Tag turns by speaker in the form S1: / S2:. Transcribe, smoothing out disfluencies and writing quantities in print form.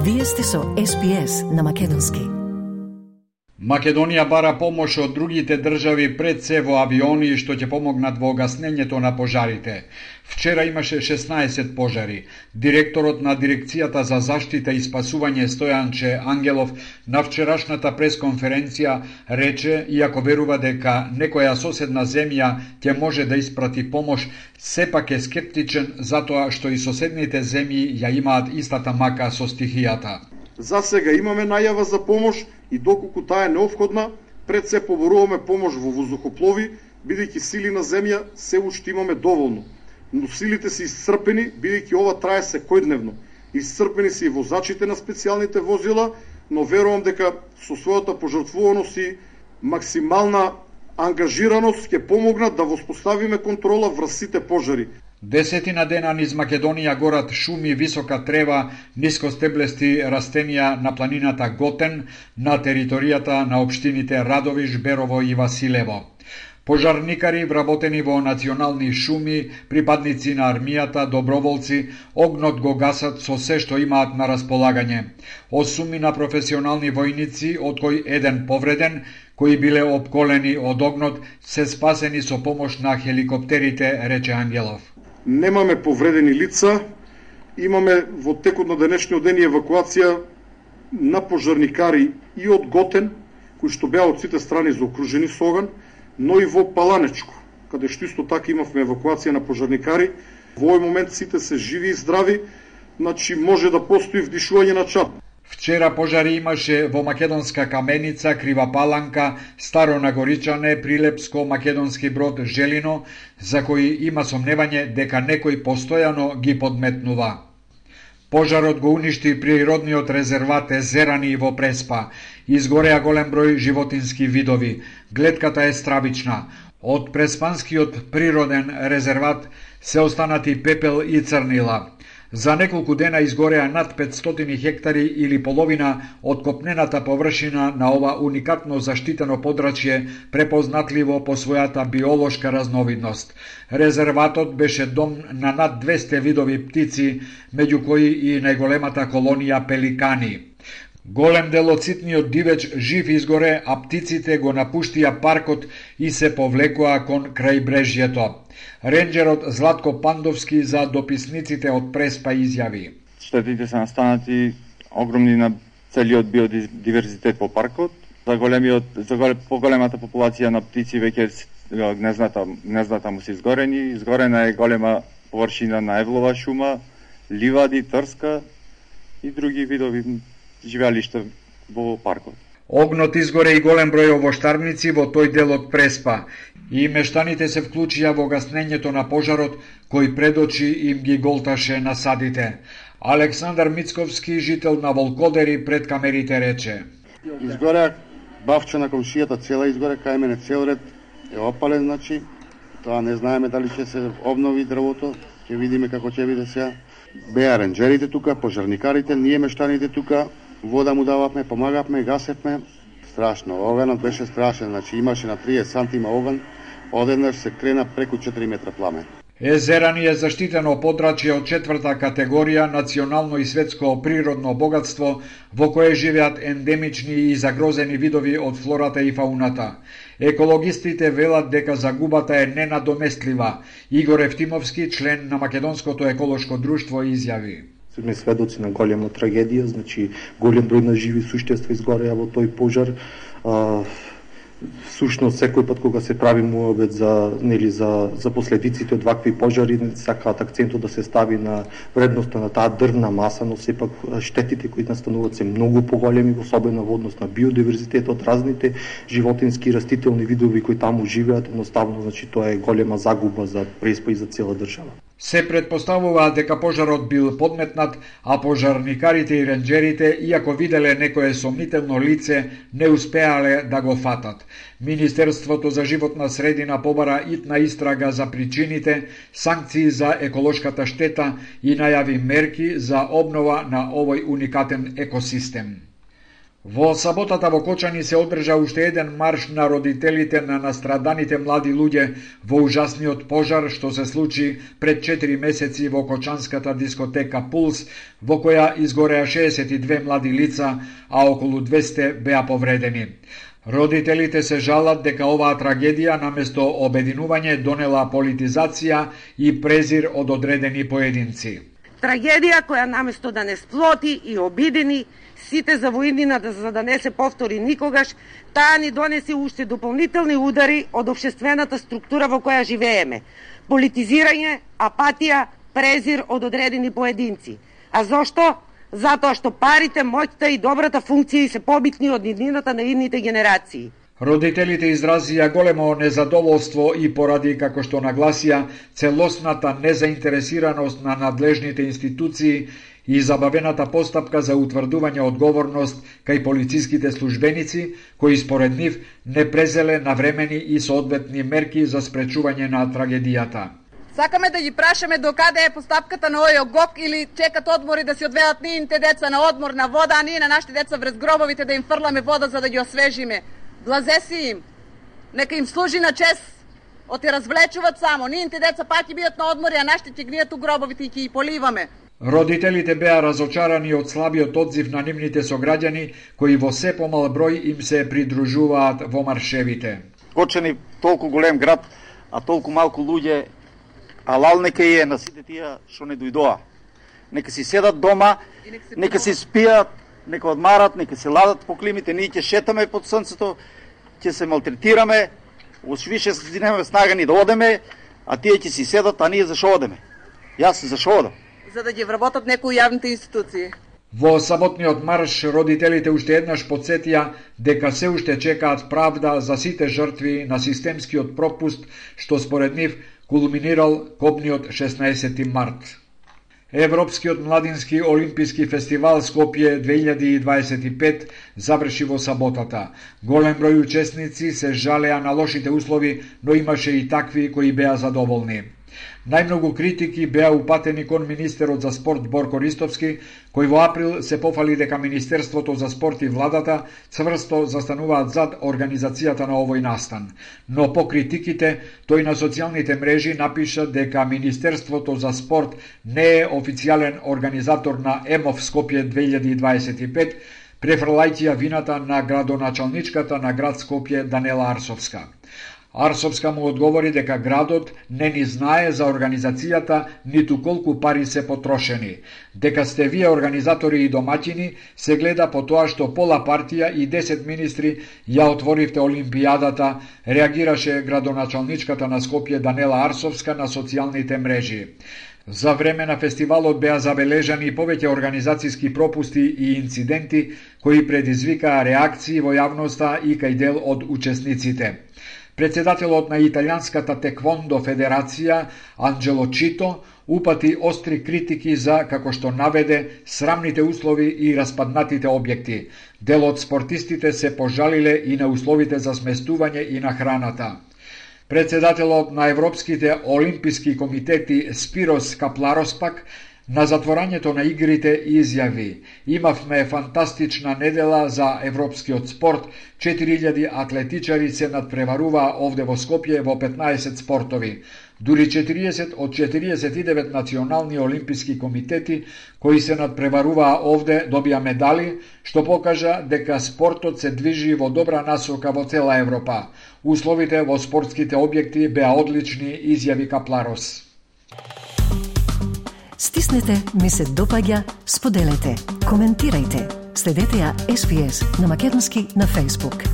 S1: Вие сте со SPS на Македонски.
S2: Македонија бара помош од другите држави, пред се во авиони што ќе помогнат во гаснењето на пожарите. Вчера имаше 16 пожари. Директорот на Дирекцијата за заштита и спасување Стојанче Ангелов на вчерашната пресконференција рече, иако верува дека некоја соседна земја ќе може да испрати помош, сепак е скептичен затоа што и соседните земји ја имаат истата мака со стихијата.
S3: За сега имаме најава за помош и доколку таа е неопходна, пред се поборуваме помош во воздухоплови, бидејќи сили на земја се уште имаме доволно. Но силите се исцрпени, бидејќи ова трае секојдневно. Исцрпени се и возачите на специјалните возила, но верувам дека со својата пожртвуваност и максимална ангажираност ќе помогнат да воспоставиме контрола врз сите пожари.
S2: Десетина дена низ Македонија горат шуми, висока трева, нискостеблести растенија на планината Готен, на територијата на општините Радовиш, Берово и Василево. Пожарникари вработени во национални шуми, припадници на армијата, доброволци, огнот го гасат со се што имаат на располагање. 8 на професионални војници, од кој еден повреден, кои биле обколени од огнот, се спасени со помош на хеликоптерите, рече Ангелов.
S3: Немаме повредени лица, имаме во текот на денешниот ден евакуација на пожарникари и од Готен, кои што беа од сите страни заокружени со оган, но и во Паланечко, каде што исто така имавме евакуација на пожарникари. Во овој момент сите се живи и здрави, значи може да постои вдишување на чад.
S2: Вчера пожари имаше во Македонска Каменица, Крива Паланка, Старо Нагоричане, Прилепско, Македонски Брод, Желино, за кои има сомневање дека некој постојано ги подметнува. Пожарот го уништи природниот резерват Езерани во Преспа. Изгореа голем број животински видови. Гледката е стравична. Од Преспанскиот природен резерват се останати пепел и црнила. За неколку дена изгореа над 500 хектари или половина од копнената површина на ова уникатно заштитено подрачје, препознатливо по својата биолошка разновидност. Резерватот беше дом на над 200 видови птици, меѓу кои и најголемата колонија пеликани. Голем дел од ситниот дивеч жив изгоре, а птиците го напуштија паркот и се повлекоа кон крајбрежјето. Ренџерот Златко Пандовски за дописниците од Преспа изјави:
S4: Штетите се настанати огромни на целиот биодиверзитет во паркот. За поголемата популација на птици веќе гнездата му се изгорени. Изгорена е голема површина на евлова шума, ливади, трска и други видови живеалишта во паркот.
S2: Огнот изгоре и голем број овоштарници во тој дел од Преспа и мештаните се вклучија во гаснењето на пожарот кој пред очи им ги голташе насадите. Александар Мицковски, жител на Волкодери, пред камерите рече:
S5: Изгоре бавче на комшијата цела изгоре, кај мене цел ред е опален, значи тоа не знаеме дали ќе се обнови дрвото, ќе видиме како ќе биде сега. Беа ренџерите тука, пожарникарите, ние мештаните тука, вода му дававме, помагавме, гасевме. Страшно, оганот беше страшен, значи имаше на 30 сантима оган, одеднаш се крена преку 4 метра пламен.
S2: Езерани е заштитено подрачје од 4-та категорија, национално и светско природно богатство, во кое живеат ендемични и загрозени видови од флората и фауната. Екологистите велат дека загубата е ненадоместлива. Игор Евтимовски, член на Македонското еколошко друштво, изјави:
S6: Сме сведоци на голема трагедија, значи голем број на живи суштества изгореа во тој пожар. Сушност секој пат кога се прави муабет за последиците од вакви пожари, сакаат акцентот да се стави на вредноста на таа дрвна маса, но сепак штетите кои настануваат се многу поголеми, особено во однос на биодиверзитетот, разните животински и растителни видови кои таму живеат, едноставно, значи тоа е голема загуба за Преспа и за цела држава.
S2: Се предпоставува дека пожарот бил подметнат, а пожарникарите и ренџерите, иако виделе некое сомнително лице, не успеале да го фатат. Министерството за животна средина побара итна истрага за причините, санкции за еколошката штета и најави мерки за обнова на овој уникатен екосистем. Во саботата во Кочани се одржа уште еден марш на родителите на настраданите млади луѓе во ужасниот пожар што се случи пред 4 месеци во кочанската дискотека Пулс, во која изгореа 62 млади лица, а околу 200 беа повредени. Родителите се жалат дека оваа трагедија наместо обединување донела политизација и презир од одредени поединци.
S7: Трагедија која наместо да не сплоти и обидени сите за воиднината за да не се повтори никогаш, таа ни донесе уште дополнителни удари од општествената структура во која живееме. Политизирање, апатија, презир од одредени поединци. А зошто? Затоа што парите, моќта и добрата функција се побитни од иднината на идните генерации.
S2: Родителите изразија големо незадоволство и поради, како што нагласија, целосната незаинтересираност на надлежните институции и забавената постапка за утврдување одговорност кај полициските службеници, кои според нив не презеле навремени и соодветни мерки за спречување на трагедијата.
S8: Сакаме да ги прашаме докаде е постапката на овој ГОК или чекат одмори да си одведат нивните деца на одмор на вода, а ние на нашите деца врз гробовите да им фрламе вода за да ги освежиме. Блазеси им. Нека им служи на чест. Оти развлечуваат само. Нивните деца пак ќе бидат на одмори, а нашите ќе гнијат у гробовите и ќе ги поливаме.
S2: Родителите беа разочарани од слабиот одзив на нивните сограѓани, кои во се помал број им се придружуваат во маршевите.
S9: Кочани толку голем град, а толку малку луѓе, алал нека е на сите тие што не дојдоа. Нека си седат дома, нека си спијат, нека одмарат, нека се ладат по климите, ние ќе шетаме под сонцето, ќе се малтретираме, уж више си немаме снага ни да одеме, а тие ќе си седат, а ние зашо одеме? Јас зашо одам?
S8: За да ги вработат некои јавните институции.
S2: Во саботниот марш родителите уште еднаш потсетија дека се уште чекаат правда за сите жртви на системскиот пропуст што според нив кулминирал копниот 16 март. Европскиот младински олимписки фестивал Скопје 2025 заврши во саботата. Голем број учесници се жалеа на лошите услови, но имаше и такви кои беа задоволни. Најмногу критики беа упатени кон министерот за спорт Борко Ристовски, кој во април се пофали дека Министерството за спорт и владата цврсто застануваат зад организацијата на овој настан. Но по критиките, тој на социјалните мрежи напиша дека Министерството за спорт не е официјален организатор на ЕМОВ Скопје 2025, префрлајќи ја вината на градоначалничката на град Скопје Данела Арсовска. Арсовска му одговори дека градот не ни знае за организацијата ниту колку пари се потрошени. Дека сте вие организатори и домаќини се гледа по тоа што пола партија и 10 министри ја отворивте Олимпијадата, реагираше градоначалничката на Скопје Данела Арсовска на социјалните мрежи. За време на фестивалот беа забележани повеќе организацијски пропусти и инциденти кои предизвикаа реакции во јавноста и кај дел од учесниците. Председателот на Италијанската теквондо федерација Анджело Чито упати остри критики за, како што наведе, срамните услови и распаднатите објекти. Дел од спортистите се пожалиле и на условите за сместување и на храната. Председателот на Европските олимписки комитети Спирос Капларос пак на затворањето на игрите изјави: имавме фантастична недела за европскиот спорт, 4000 атлетичари се надпреваруваа овде во Скопје во 15 спортови. Дури 40 од 49 национални олимписки комитети кои се надпреваруваа овде добија медали, што покажа дека спортот се движи во добра насока во цела Европа. Условите во спортските објекти беа одлични, изјави Капларос.
S1: Стиснете, ми се допаѓа, споделете, коментирајте. Следете ја SPS на Македонски на Facebook.